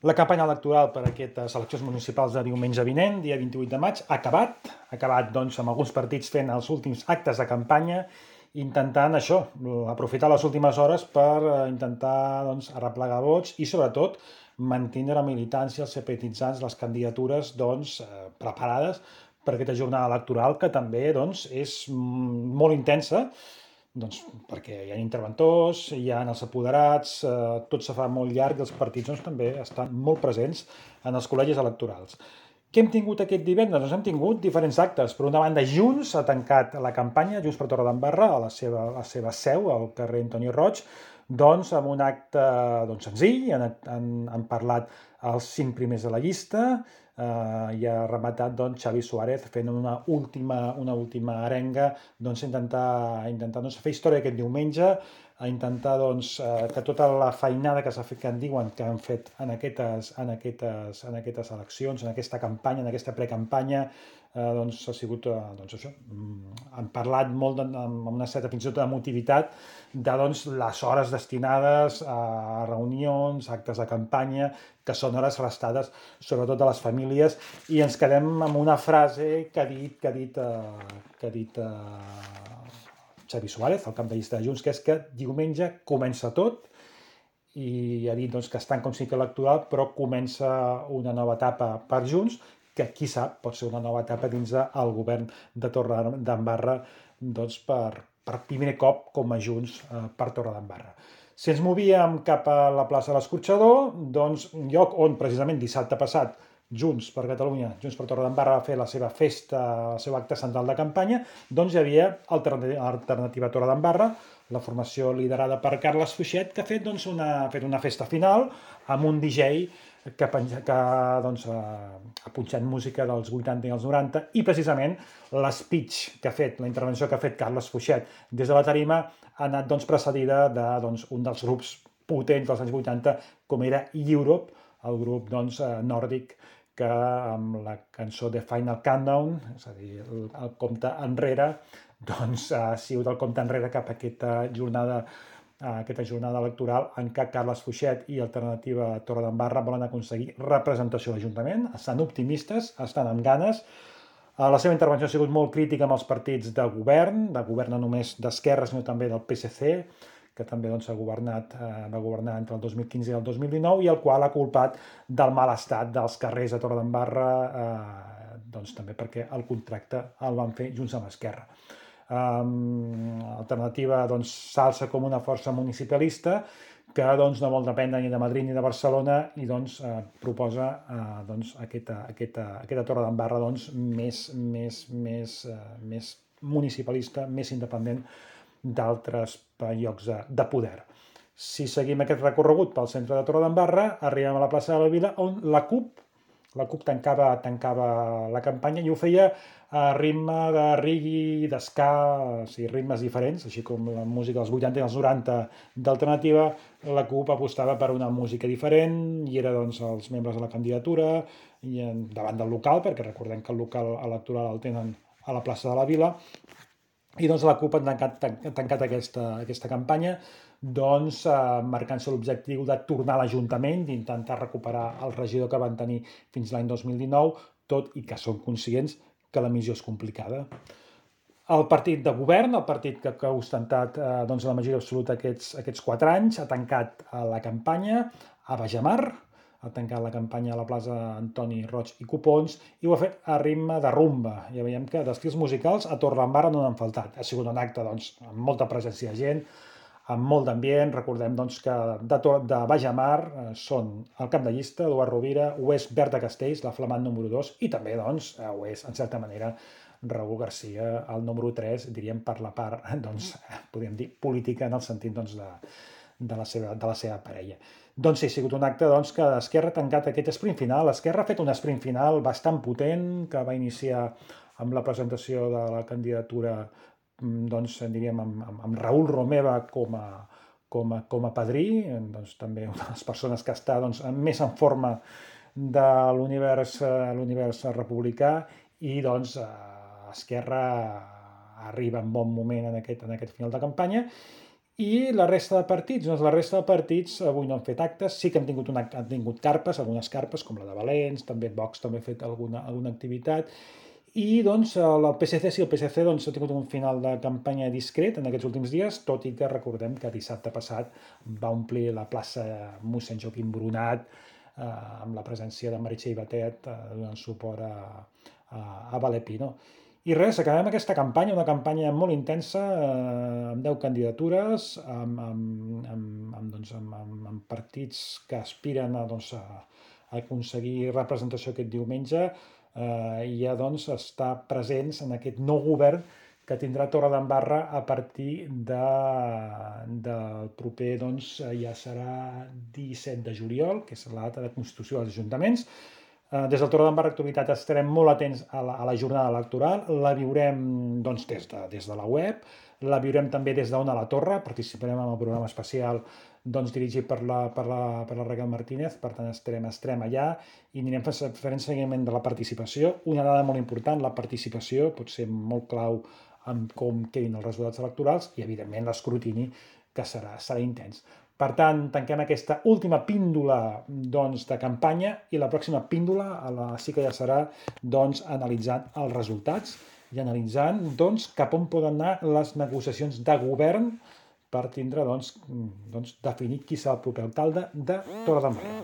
La campanya electoral per a aquestes eleccions municipals de diumenge vinent, dia 28 de maig, ha acabat doncs, amb alguns partits fent els últims actes de campanya, intentant això, aprofitar les últimes hores per intentar doncs, arreplegar vots i sobretot mantenir la militància, els simpatitzants, les candidatures doncs, preparades per aquesta jornada electoral que també doncs, és molt intensa, doncs, perquè hi ha interventors, hi ha els apoderats, tot se fa molt llarg i els partits doncs, també estan molt presents en els col·legis electorals. Què hem tingut aquest divendres? Doncs hem tingut diferents actes. Per una banda, Junts ha tancat la campanya, Junts per Torredembarra, a la seva seu, al carrer Antoni Roig, doncs amb un acte doncs, senzill, han parlat els 5 primers de la llista, i ha rematat doncs, Xavi Suárez fent una última arenga doncs, intentar doncs, fer història aquest diumenge, a intentar doncs, que tota la feinada que s'ha fet, que en diuen que han fet en aquestes eleccions, en aquesta campanya, en aquesta precampanya, doncs ha sigut doncs això. Han parlat molt amb una certa fins i tot emotivitat de doncs, les hores destinades a reunions, actes de campanya, que són hores restades sobretot a les famílies, i ens quedem amb una frase que ha dit Xavi Suárez, el cap de llista de Junts, que és que diumenge comença tot, i ha dit doncs, que està en consigna electoral, però comença una nova etapa per Junts, que qui sap pot ser una nova etapa dins del govern de Torredembarra doncs, per primer cop com a Junts per Torredembarra. Si ens movíem cap a la plaça de l'Escorxador, doncs un lloc on precisament dissabte passat Junts per Catalunya, Junts per Torredembarra va fer la seva festa, el seu acte central de campanya, doncs hi havia Alternativa Torredembarra, la formació liderada per Carles Fuixet, que ha fet, doncs, una festa final amb un DJ que doncs, ha punxat música dels 80 i els 90, i precisament l'speech que ha fet, la intervenció que ha fet Carles Fuixet des de la tarima ha anat doncs, precedida de doncs, un dels grups potents dels anys 80, com era Europe, el grup doncs, nòrdic, que amb la cançó de Final Countdown, és a dir, el compte enrere, doncs ha sigut el compte enrere cap a aquesta jornada electoral en què Carles Fuixet i Alternativa Torredembarra volen aconseguir representació a l'Ajuntament. Estan optimistes, estan amb ganes. La seva intervenció ha sigut molt crítica amb els partits de govern no només d'esquerra, sinó també del PSC, que també doncs, va governar entre el 2015 i el 2019, i el qual ha culpat del mal estat dels carrers de Torredembarra, doncs, també perquè el contracte el van fer Junts amb Esquerra. Alternativa doncs, s'alça com una força municipalista que doncs, no vol dependre ni de Madrid ni de Barcelona, i doncs, proposa doncs, aquesta Torredembarra doncs, més municipalista, més independent d'altres llocs de poder. Si seguim aquest recorregut pel centre de Torredembarra, arribem a la plaça de la Vila, on la CUP tancava la campanya, i ho feia a ritme de reggae, d'esca, o sigui, ritmes diferents, així com la música dels 80 i els 90 d'Alternativa. La CUP apostava per una música diferent, i era doncs, els membres de la candidatura i davant del local, perquè recordem que el local electoral el tenen a la plaça de la Vila, i doncs la CUP ha tancat aquesta campanya doncs, marcant-se l'objectiu de tornar a l'Ajuntament, d'intentar recuperar el regidor que van tenir fins l'any 2019, tot i que són conscients que la missió és complicada. El partit de govern, el partit que ha ostentat doncs, la majoria absoluta aquests 4 anys, ha tancat la campanya a Bajamar, ha tancat la campanya a la plaça Antoni Roig i Copons, i ho ha fet a ritme de rumba. Ja veiem que d'estils musicals a Torredembarra no n'han faltat. Ha sigut un acte doncs, amb molta presència de gent, amb molt d'ambient. Recordem doncs, que de Bajamar són el cap de llista, Eduard Rovira, ho és Berta Castells, la flamant número 2, i també doncs, ho és, en certa manera, Raúl García, el número 3, diríem per la part, doncs, podríem dir, política, en el sentit doncs, de la seva parella. Doncs sí, ha sigut un acte doncs, que Esquerra ha tancat aquest sprint final. Esquerra ha fet un sprint final bastant potent, que va iniciar amb la presentació de la candidatura, doncs, diríem, amb Raúl Romeva com a padrí, doncs, també una de les persones que està doncs, més en forma de l'univers republicà, i doncs, Esquerra arriba en bon moment en aquest final de campanya, I la resta de partits? Doncs la resta de partits avui no han fet actes, sí que han tingut carpes, algunes carpes, com la de Valents, també Vox també ha fet alguna activitat, i doncs el PSC, sí, el PSC doncs, ha tingut un final de campanya discret en aquests últims dies, tot i que recordem que dissabte passat va omplir la plaça mossèn Joaquim Brunat amb la presència de Meritxell Batet donant suport a Valer-Pi, no? I res, acabem aquesta campanya, una campanya molt intensa, amb 10 candidatures, amb partits que aspiren a aconseguir representació aquest diumenge i ja estar presents en aquest nou govern que tindrà Torredembarra a partir del proper, ja serà 17 de juliol, que és la data de constitució dels ajuntaments. Des del Torredembarra Actualitat estarem molt atents a la jornada electoral, la viurem des de la web, la viurem també des d'Ona la Torre, participarem en el programa especial dirigit per la Raquel Martínez, per tant estarem allà i anirem fent seguiment de la participació. Una dada molt important, la participació pot ser molt clau en com quedin els resultats electorals i, evidentment, l'escrutini, que serà intens. Per tant, tanquem aquesta última píndola de campanya i la pròxima píndola sí que ja serà analitzant els resultats i analitzant cap on poden anar les negociacions de govern per tindre definit qui serà el proper alcalde de Torredembarra.